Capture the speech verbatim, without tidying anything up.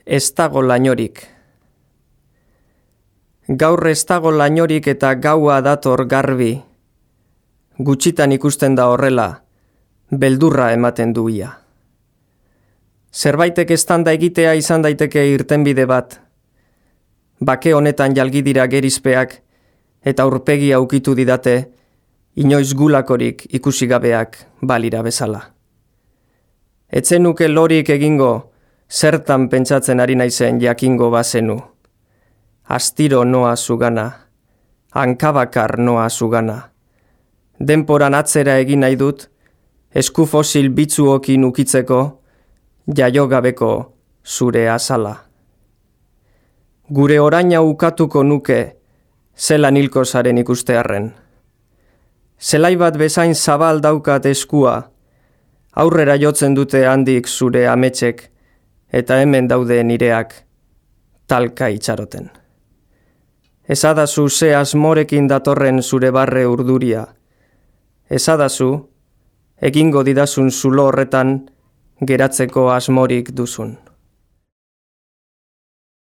Ez dago lainorik. Gaur ez dago lainorik eta gaua dator garbi. Gutxitan ikusten da horrela, beldurra ematen duia. Zerbaitek eztanda egitea izan daiteke irtenbide bat. Bake honetan jalgi dira gerizpeak eta aurpegia ukitu didate, inoiz gulakorik ikusi gabeak balira bezala. Etzen nuke lorik egingo, zertan pentsatzen ari naizen jakingo bazenu. Astiro noa zugana, hankabakar noa zugana. Denporan atzera egin nahi dut, esku fosil bitzuokin ukitzeko, jaiogabeko zure azala. Gure oraina ukatuko nuke, zelan hilko zaren ikustearren. Zelai bat bezain zabal daukat eskua, aurrera jotzen dute handik zure ametsek, eta hemen daude nireak talka itxaroten. Ezadazu ze asmorekin datorren zure barre urduria. Ezadazu, egingo didazun zulo horretan geratzeko asmorik duzun.